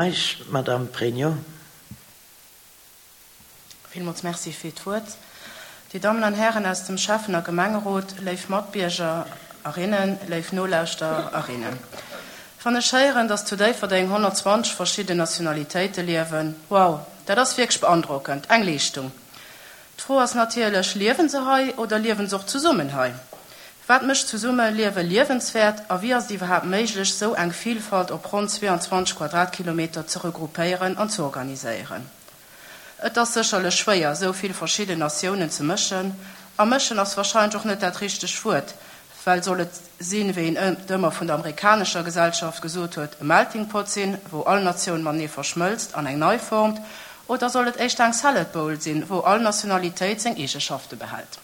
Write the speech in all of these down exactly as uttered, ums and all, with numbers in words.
Madame Pregno. Villmools Merci fir d'Wuert. Dir Dammen an Hären aus dem Schäffen a Gemengerot, léif Matbierger erinnen, léif Nolauschterer erinnen. Wann ech héieren, dass zu Déifferdeng honnertzwanzeg verschidden Nationalitéite liewen, wow, dat ass wierklech beandrockend, eng Leeschtung. D'Fro ass natierlech, Liewen se hei oder liewen se och zesummen hei? Wat mécht d'Zesummeliewe liewenswäert a wéi ass et iwwerhaapt méiglech, sou eng Vilfalt op ronn zweeanzwanzeg Quadratkilometer ze regroupéieren an z'organiséieren? Et ass sécherlech schwéier, sou vill verschidden Natiounen ze mëschen. A mëschen ass warscheinlech och net dat richtegt Wuert, well soll et sinn, wéi een et ëmmer vun der amerikanescher Gesellschaft gesot huet, e Melting Pot sinn, wou all Natioun matenee verschmëlzt an eng nei formt, oder soll et éischter eng Salad Bowl sinn, wou all Nationalitéit seng Eegeschafte behält?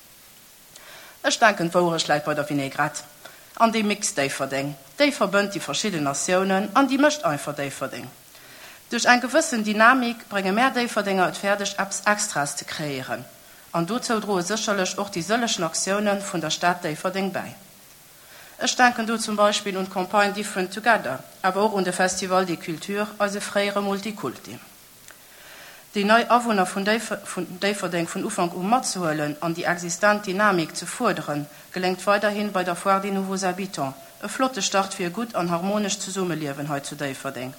Ech denken, d'Wouerecht läit bei der Vinaigrette. An déi mixt Déifferdeng. Déi verbënnt déi verschidden Natiounen an déi mécht einfach Déifferdeng. Duerch eng gewëssen Dynamik brénge mär Déifferdenger et fäerdeg, eppes Extraes ze kreéieren. An dozou droe sécherlech och déi sëllegen Aktioune vun der Stad Déifferdeng bäi. Ech denken do zum Beispill un d'Campagne Different Together, awer och un de Festival des Cultures, eise fréiere Multikulti. Déi nei Awunner vun Déifferdeng vun Ufank u matzehuelen an déi existent Dynamik ze fuerderen, geléngt weiderhi bei der Foire des Nouveaux Habitants. E flotte Start fir e gutt an harmonescht Zesummeliewen hei zu Déifferdeng.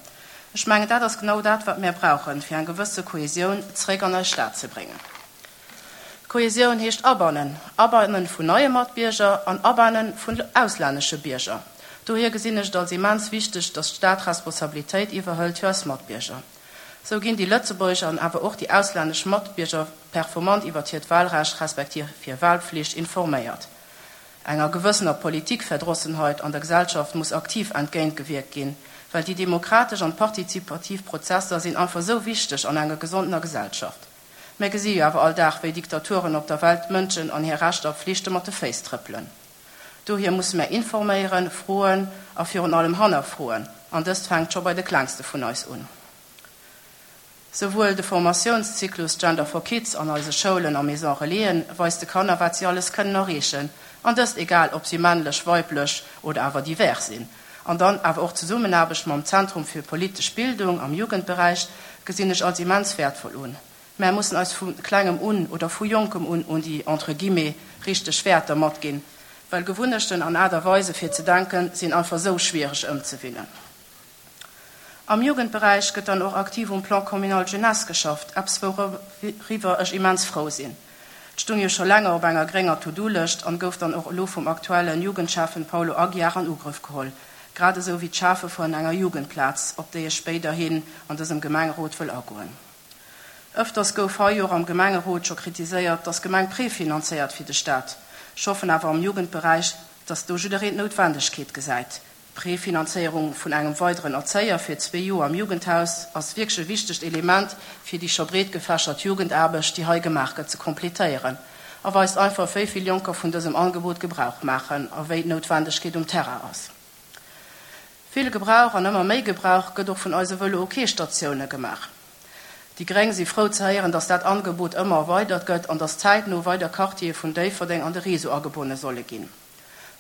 Ech mengen, dat ass genau dat, wat mär brauchen, fir eng gewësse Kohesioun zeréck an eis Stad ze bréngen. Kohesioun heescht abannen, Abanne vun neie Matbierger an Abanne vun auslännesche Bierger. Dohier gesinn ech et als immens wichteg, dass d'Stad Responsabilitéit iwwerhëlt fir eis Matbierger. Sou ginn déi lëtzebuergesch an awer och déi auslännesch Matbierger performant iwwert hiert Wahlrecht respektiv hir Wahlpflicht informéiert. Enger gewëssener Politikverdrossenheit an der Gesellschaft muss aktiv entgéintgewierkt ginn, well déi demokratesch an partizipativ Prozesser sinn einfach sou wichteg an enger gesondener Gesellschaft. Mir gesi jo awer all Dag, wéi Diktaturen op der Welt d'Mënschen an hir Rechter a Pflichte mat de Féiss trëppelen. Dohier musse mär informéieren, froen a virun allem hannerfroen. An dëst fänkt scho bei de Klengste vun eis un. Souwuel de Formatiounszyklus Gender for Kids an eise Schoulen a Maison Relaisen weist de Kanner, wat si alles kënnen erreechen, an dëst egal, ob si männlech, weiblech oder awer divers sinn. An dann awer och d'Zesummenaarbecht mam Zentrum fir politesch Bildung am Jugendberäich gesinn ech als immens wäertvoll un. Mär mussen eis vu Klengem un oder vu Jonkem un un déi, entre guillemets, richteg Wäerter matginn, well Gewunnechten an Aart a Weise fir ze denken sinn einfach esou schwiereg ëmzewinnen. Am Jugendberäich gëtt dann och aktiv um Plan communal jeunesse geschafft, eppes wouriwwer ech immens frou sinn. Et stung jo scho länger op enger grénger To-Do-Lëscht an gouf dann och elo vum aktuellen Jugendschäffen Paulo Aguiar an Ugrëff geholl, grad esou wéi d'Schafe vun enger Jugendplaz, op déi ech spéiderhin an dësem Gemengerot wëll agoen. Ëfters gouf hei jo och am Gemengerot scho kritiséiert, dass d'Gemeng prefinanzéiert fir de Staat. Ech hoffen awer am Jugendberäich, dass do jiddereen d'Noutwendegkeet gesäit. D'Prefinanzéierung vun engem weideren Erzéier fir zwee Joer am Jugendhaus ass wierklech e wichtegt Element, fir déi scho breet gefächert Jugendaarbecht, déi hei gemaach gëtt, ze completéieren a weist einfach, wéi vill Jonker vun dësem Angebot Gebrauch maachen a wéi d'Noutwendegkeet um Terrain ass. Vill Gebrauch an ëmmer méi Gebrauch gëtt och vun eise Vëlo-OK-Statioune gemaach. Déi Gréng si frou ze héieren, dass dat Angebot ëmmer erweidert gëtt an dass zäitno weider Quartiere vun Déifferdeng an de Réseau agebonne solle ginn.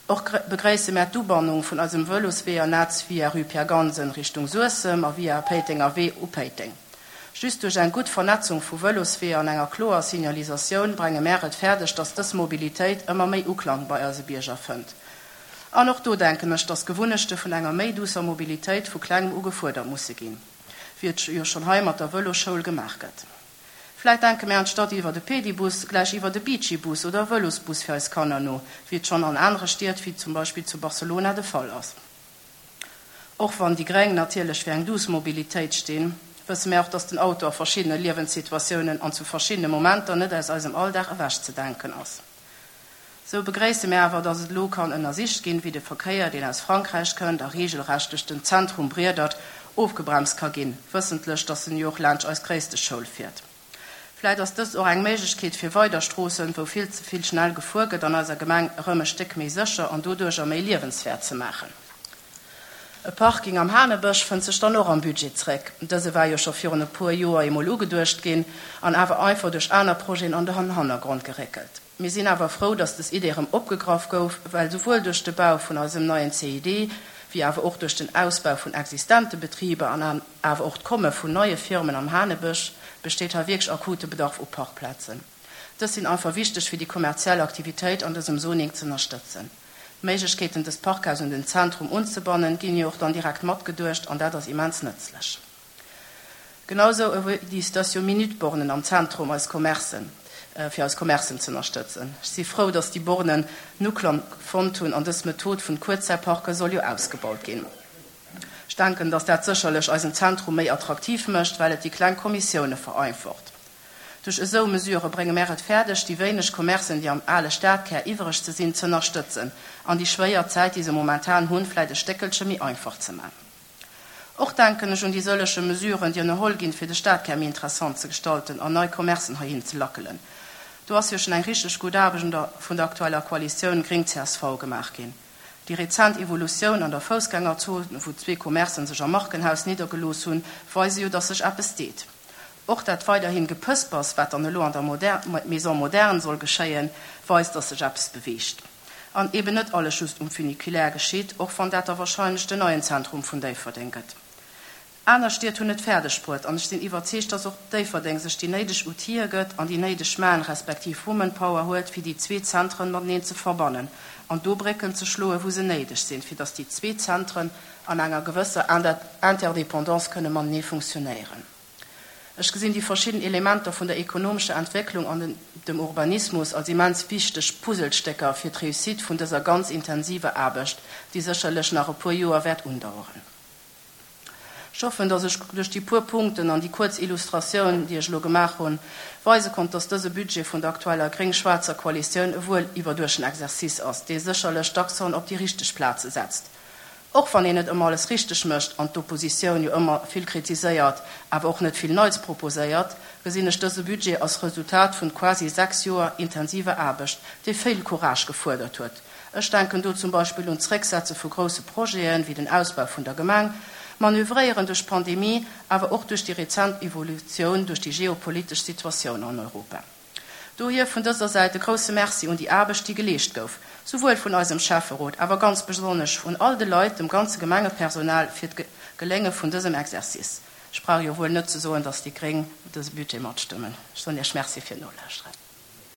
Och begréisse mär d'Ubannung vun eisem Vëlosweeër-Netz via Rue Pierre Gansen Richtung Suessem a via Péitenger Wee u Péiteng. Just duerch eng gutt Vernetzung vu Vëlosweeër an enger kloer Signalisatioun brenge mär et fäerdeg, dass dës Mobilitéit ëmmer méi Uklang bei eise Bierger fënnt. An och do denken ech, dass Gewunnechte vun enger méi duusser Mobilitéit vu Klengem u gefuerdert musse ginn, wéi et jo schonn hei mat der Vëlosschoul gemaach gëtt. Vläit denke mär anstatt iwwer e Pedibus gläich iwwer e Bicibus oder e Vëlosbus fir eis Kanner no, wéi et schonn an anere Stied wéi zum Beispill zu Barcelona de Fall ass. Och wann déi Gréng natierlech fir eng duuss Mobilitéit stinn, wësse mär och, dass den Auto a verschiddene Liewenssituatiounen an zu verschiddene Momenter net aus eisem Alldag ewechzedenken ass. Sou begréisse mär awer, dass et elo kann ënnersicht ginn, wéi de Verkéier, deen aus Frankräich kënnt a reegelrecht duerch den Zentrum briedert, ofgebremst ka ginn, wëssentlech, dass en jo och laanscht eis gréisste Schoul fiert. Vläit ass dëst och eng Méiglechkeet fir weider Stroossen, wou vill ze vill schnell gefuer gëtt an eiser Gemeng, erëm e Stéck méi sécher an doduercher méi liewenswäert ze maachen. E Parking am Hanebësch fënnt sech dann och am Budget zréck. Dëse war jo scho virun e puer Joer eemol ugeduecht ginn an awer einfach duerch aner Projeten an den Hannergrond geréckelt. Mir sinn awer frou, dass des Idee erëm opgegraff gouf, well souwuel duerch de Bau vun eisem neien C I D wéi awer och duerch den Ausbau vun existente Betriber an awer och d'Komme vun neie Firmen am Hanebësch besteet hei wierklech akute Bedarf u Parkplazen. Dës sinn einfach wichteg fir déi kommerziell Aktivitéit an dësem Zoning z'ënnerstëtzen. D'Méiglechkeeten dëst Parkhaus un den Zentrum unzebannen ginn jo och dann direkt matgeduecht an dat ass immens nëtzlech. Genau sou ewéi déi Station-Minute-Bornen am Zentrum eis Commercen, fir eis Commercen z'ënnerstëtzen. Ech si frou, dass déi Bornen en Uklang fonnt hunn an dës Method vun Kuerzzäitparke soll jo ausgebaut ginn. Ech denken, dass dat sécherlech eisen Zentrum méi attraktiv mécht, well et déi kleng Kommissioune vereinfacht. Duerch esou Mesurë brénge mär et fäerdeg, déi wéineg Commercen, déi am ale Stadkär iwwereg ze sinn, z'ënnerstëtzen an déi schwéier Zäit, déi se momentan hunn, vläit e Stéckelche méi einfach ze man. Och denken ech un déi sëllege Mesuren, déi ënnerholl ginn, fir de Stadkär méi interessant ze gestalten an nei Commercen heihin ze lackelen. Do ass jo schonn eng richteg gutt Aarbecht vun der aktueller Koalitioun Gréng-CSV gemaach ginn. Déi rezent Evolutioun an der Foussgängerzon, wou zwee Commercen sech am Markenhaus niddergelooss hunn, weise jo, dass sech eppes deet. Och dat weiderhin Gepëspers, wat dann elo an der Maison moderne soll geschéien, weist, dass sech eppes beweegt. An eben net alles just um Funiculaire geschitt, och wann dat da wahrscheinlech den neien Zentrum vun Déifferdeng gëtt. Aner Stied hunn et fäerdeg bruet, an ech sinn iwwerzeegt, dass och Déifferdeng sech déi néideg Outile gëtt an déi néideg Man respektiv Womanpower huet, fir déi zwee Zentren mateneen ze verbannen an do Brécken ze schloen, wou se néideg sinn, fir dass déi zwee Zentren an enger gewësser Interdépendance kënne matenee funktionéieren. Ech gesinn déi verschidden Elementer vun der ekonomescher Entwécklung an dem Urbanismus als immens wichteg Puzzlestécker fir d'Réussite vun dëser ganz intensiver Aarbecht, déi sécherlech nach e puer Joer wäert undaueren. Ech hoffen, dass ech duerch déi puer Punkten an déi kuerz Illustratioun, déi ech elo gemaach hunn, weise konnt, dass dëse Budget vun der aktueller gréng-schwaarzer Koalitioun e wuel iwwerduechten Exercice ass, dee sécherlech d'Accenten op déi richteg Plaze setzt. Och wann een net ëmmer alles richteg mécht an d'Oppositioun jo ëmmer vill kritiséiert, awer och net vill Neits proposéiert, gesinn ech dëse Budget als Resultat vun quasi sechs Joer intensiver Aarbecht, déi vill Courage gefuerdert huet. Ech denken do zum Beispill un d'Zrécksetze vu grousse Projeten, wéi den Ausbau vun der Gemeng, Manövréieren duerch d'Pandemie, awer och duerch déi rezent Evolutioun duerch déi geopolitesch Situatioun an Europa. Dohier vun dëser Säit e grousse Merci un déi Aarbecht, déi geleescht gouf, souwuel vun eisem Schäfferot, awer ganz besonnesch vun all de Leit, dem ganze Gemengepersonal, fir d'Gelénge vun dësem Exercice. Ech brauch jo wuel net ze soen, dass déi Gréng dëse Budget matstëmmen. Ech soen Iech Merci fir d'Nolauschteren.